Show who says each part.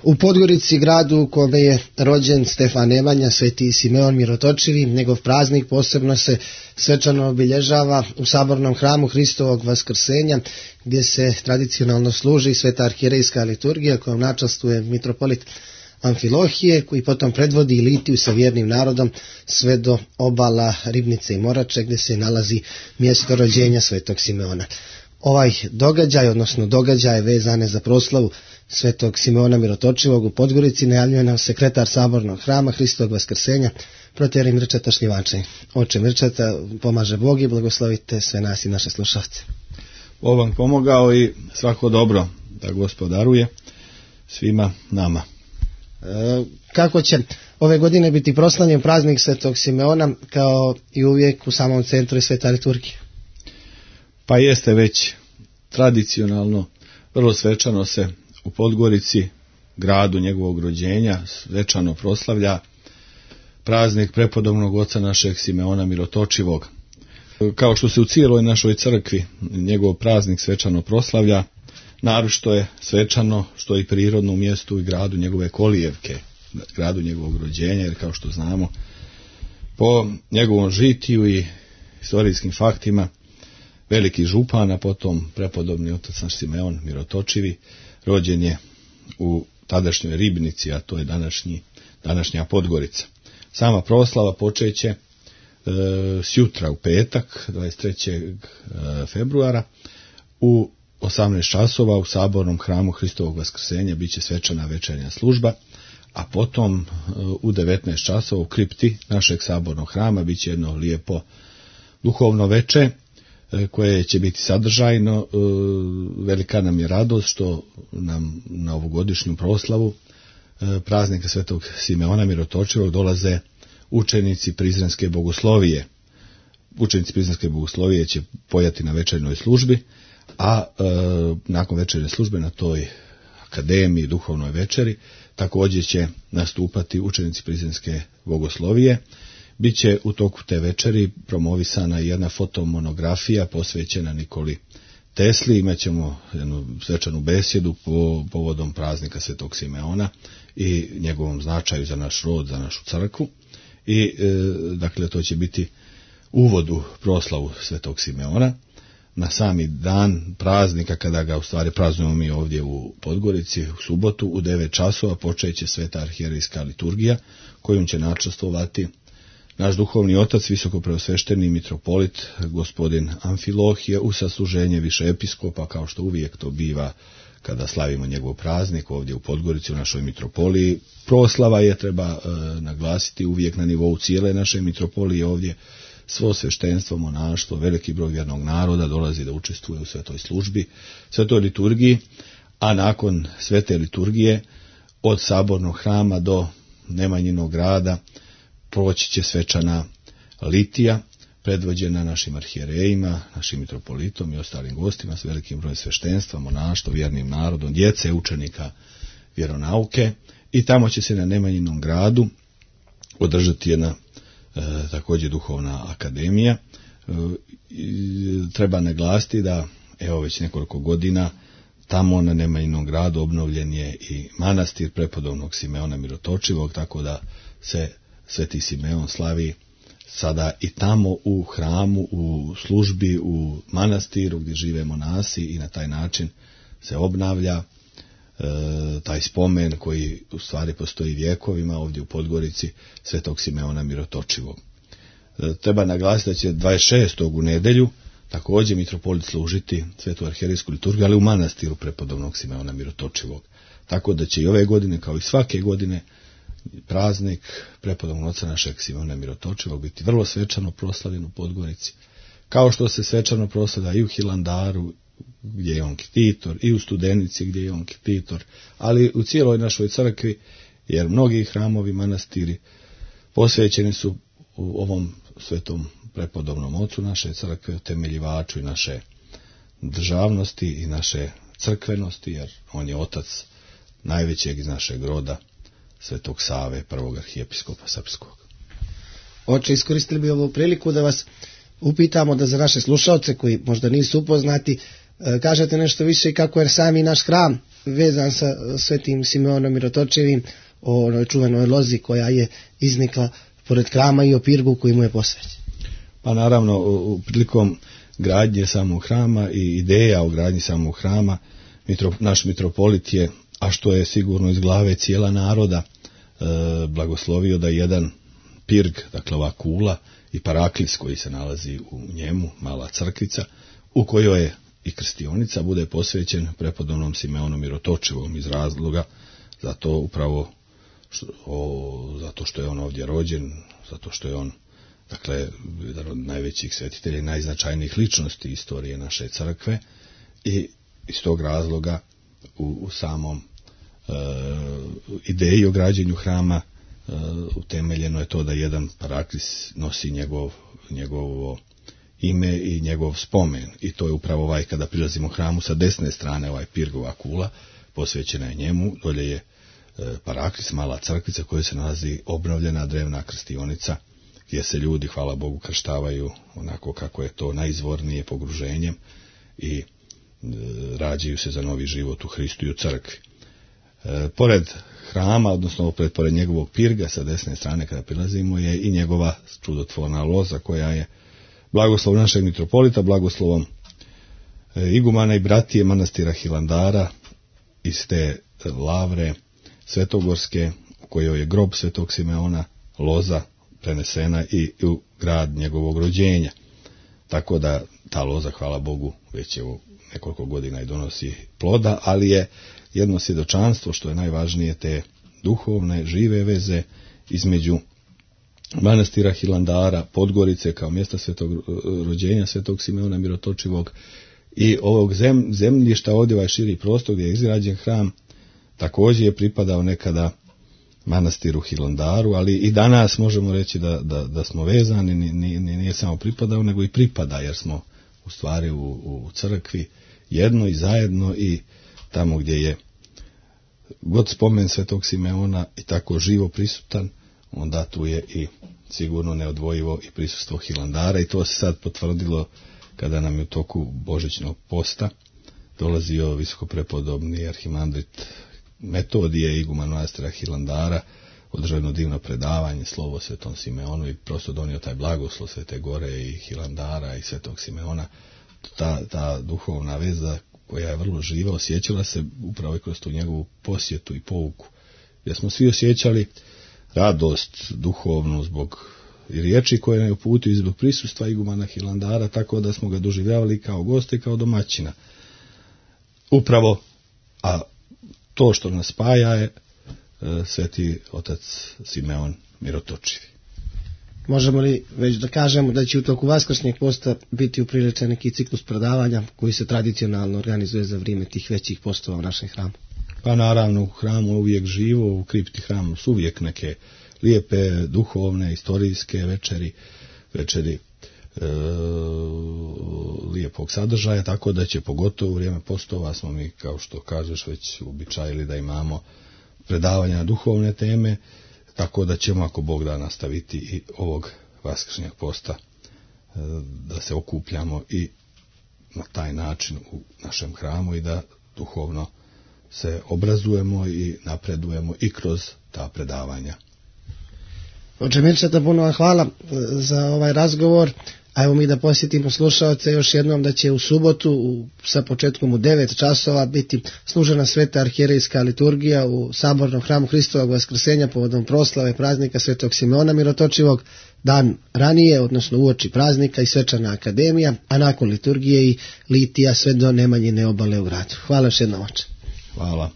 Speaker 1: U Podgorici, gradu u kome je rođen Stefan Nemanja, Sveti Simeon Mirotočivi, njegov praznik posebno se svečano obilježava u sabornom hramu Hristovog vaskrsenja, gdje se tradicionalno služi sveta arhijerejska liturgija kojom načastvuje mitropolit Amfilohije, koji potom predvodi litiju sa vjernim narodom sve do obala Ribnice i Morače, gdje se nalazi mjesto rođenja Svetog Simeona. Ovaj događaj, odnosno događaje vezane za proslavu Svetog Simeona Mirotočivog u Podgorici najavljuje nam sekretar sabornog hrama Hristovog vaskrsenja, protijerej Mirčeta Šljivančanin. Oče Mirčeta, pomaže Bog i blagoslovite sve nas i naše slušalce.
Speaker 2: Bog vam pomogao i svako dobro da Gospod daruje svima nama.
Speaker 1: Kako će ove godine biti proslavljen praznik Svetog Simeona, kao i uvijek u samom centru je sveta liturgija?
Speaker 2: Pa jeste već tradicionalno, vrlo svečano se u Podgorici, gradu njegovog rođenja, svečano proslavlja praznik prepodobnog oca našeg Simeona Mirotočivog. Kao što se u cijeloj našoj crkvi njegov praznik svečano proslavlja, naročito je svečano što i prirodno u mjestu i gradu njegove kolijevke, gradu njegovog rođenja, jer kao što znamo, po njegovom žitiju i historijskim faktima, veliki župan, a potom prepodobni otac naš Simeon Mirotočivi, rođen je u tadašnjoj Ribnici, a to je današnja Podgorica. Sama proslava počeće sjutra u petak, 23. februara, u 18 časova u sabornom hramu Hristovog vaskrsenja biće svečana večernja služba, a potom u 19 časova u kripti našeg sabornog hrama biće jedno lijepo duhovno veče, koje će biti sadržajno. Velika nam je radost što nam na ovogodišnju proslavu praznika Svetog Simeona Mirotočivog dolaze učenici Prizrenske bogoslovije. Učenici Prizrenske bogoslovije će pojati na večernoj službi, a nakon večernje službe na toj akademiji, duhovnoj večeri, također će nastupati učenici Prizrenske bogoslovije. Biće u toku te večeri promovisana jedna fotomonografija posvećena Nikoli Tesli. Imaćemo jednu svečanu besjedu povodom praznika Svetog Simeona i njegovom značaju za naš rod, za našu crkvu. I dakle to će biti uvod u proslavu Svetog Simeona. Na sami dan praznika, kada ga u stvari praznujemo mi ovdje u Podgorici, u subotu u 9 časova počeće sveta arhijerejska liturgija, kojom će načastvovati naš duhovni otac, visokopreosvešteni mitropolit gospodin Amfilohije, u sasluženje više episkopa, kao što uvijek to biva kada slavimo njegov praznik ovdje u Podgorici u našoj mitropoliji. Proslava je, treba naglasiti, uvijek na nivou cijele naše mitropolije ovdje. Svo sveštenstvo, monaštvo, veliki broj vjernog naroda dolazi da učestvuje u svetoj službi, svetoj liturgiji, a nakon svete liturgije od sabornog hrama do Nemanjinog grada proći će svečana litija, predvođena našim arhijerejima, našim mitropolitom i ostalim gostima, s velikim brojem sveštenstva, monaštva, vjernim narodom, djece, učenika vjeronauke, i tamo će se na Nemanjinom gradu održati jedna također duhovna akademija. Treba naglasiti da evo već nekoliko godina tamo na Nemanjinom gradu obnovljen je i manastir prepodobnog Simeona Mirotočivog, tako da se Sveti Simeon slavi sada i tamo u hramu, u službi, u manastiru gdje žive monasi, i na taj način se obnavlja taj spomen koji u stvari postoji vjekovima ovdje u Podgorici Svetog Simeona Mirotočivog. Treba naglasiti da će 26. u nedjelju također mitropolit služiti svetu arhijerejsku liturgiju, ali u manastiru prepodobnog Simeona Mirotočivog. Tako da će i ove godine, kao i svake godine, praznik prepodobnog oca našeg Simeona Mirotočivog biti vrlo svečano proslavljen u Podgorici, kao što se svečano proslavlja i u Hilandaru, gdje je on ktitor, i u Studenici gdje je on ktitor, ali u cijeloj našoj crkvi, jer mnogi hramovi, manastiri posvećeni su u ovom svetom prepodobnom ocu naše crkve, temeljivaču i naše državnosti i naše crkvenosti, jer on je otac najvećeg iz našeg roda, Svetog Save, prvog arhijepiskopa srpskog.
Speaker 1: Oče, iskoristili bi ovu priliku da vas upitamo, da za naše slušalce koji možda nisu upoznati, kažete nešto više kako je sami naš hram vezan sa svetim Simeonom Mirotočivim, o onoj čuvenoj lozi koja je iznikla pored hrama i o pirgu koji mu je posvećen.
Speaker 2: Pa naravno, prilikom gradnje samog hrama i ideja o gradnji samog hrama, naš mitropolit je, a što je sigurno iz glave cijela naroda, blagoslovio da jedan pirg, dakle ova kula i paraklis koji se nalazi u njemu, mala crkvica, u kojoj je i krstionica, bude posvećen prepodobnom Simeonu Mirotočivom iz razloga, zato što je on ovdje rođen, zato što je on, dakle, jedan od najvećih svetitelja i najznačajnijih ličnosti istorije naše crkve, i iz tog razloga u samom ideji o građenju hrama utemeljeno je to da jedan paraklis nosi njegovo ime i njegov spomen, i to je upravo kada prilazimo hramu sa desne strane, pirgova kula posvećena je njemu, dolje je paraklis, mala crkvica koja se nalazi obnovljena drevna krstionica, gdje se ljudi, hvala Bogu, krštavaju onako kako je to najizvornije pogruženjem i rađaju se za novi život u Hristu i u crkvi. Pored hrama, odnosno pored njegovog pirga sa desne strane kada prilazimo, je i njegova čudotvorna loza koja je blagoslov našeg mitropolita, blagoslovom igumana i bratije manastira Hilandara iz te lavre svetogorske u kojoj je grob svetog Simeona, loza prenesena i u grad njegovog rođenja. Tako da ta loza, hvala Bogu, već je nekoliko godina i donosi ploda, ali je jedno svjedočanstvo, što je najvažnije, te duhovne, žive veze između manastira Hilandara, Podgorice kao mjesta svetog rođenja svetog Simeona Mirotočivog i ovog zemljišta, ovdje ovaj širi prostor gdje je izgrađen hram, također je pripadao nekada manastiru Hilandaru, ali i danas možemo reći da smo vezani, nije samo pripadao, nego i pripada, jer smo u stvari u crkvi jedno i zajedno, i tamo gdje je god spomen svetog Simeona i tako živo prisutan, onda tu je i sigurno neodvojivo i prisustvo Hilandara, i to se sad potvrdilo kada nam je u toku božićnog posta dolazio visokoprepodobni arhimandrit Metodije, iguman manastira Hilandara, održao jedno divno predavanje, slovo svetom Simeonu, i prosto donio taj blagoslov Svete Gore i Hilandara i svetog Simeona. Ta duhovna veza koja je vrlo živa osjećala se upravo kroz tu njegovu posjetu i pouku, gdje smo svi osjećali radost duhovnu zbog i riječi koje nam je uputio i zbog prisustva igumana Hilandara, tako da smo ga doživljavali kao gosta i kao domaćina. Upravo, a to što nas spaja je sveti otac Simeon Mirotočivi.
Speaker 1: Možemo li već da kažemo da će u toku vaskršnjeg posta biti upriličen neki ciklus predavanja koji se tradicionalno organizuje za vrijeme tih većih postova u našem hramu?
Speaker 2: Pa naravno, u hramu je uvijek živo, u kripti hramu su uvijek neke lijepe, duhovne, istorijske večeri lijepog sadržaja, tako da će pogotovo u vrijeme postova smo mi, kao što kažeš, već uobičajili da imamo predavanja na duhovne teme, tako da ćemo, ako Bog da, nastaviti i ovog vaskršnjeg posta da se okupljamo i na taj način u našem hramu i da duhovno se obrazujemo i napredujemo i kroz ta predavanja.
Speaker 1: Oče Mirčeta, puno vam hvala za ovaj razgovor. A evo mi da posjetimo slušalce još jednom da će u subotu sa početkom u 9 časova biti služena sveta arhijerejska liturgija u sabornom hramu Hristovog vaskrsenja povodom proslave praznika svetog Simeona Mirotočivog, dan ranije, odnosno uoči praznika, i svečana akademija, a nakon liturgije i litija sve do Nemanjine obale u gradu. Hvala još jednom, oče.
Speaker 2: Hvala.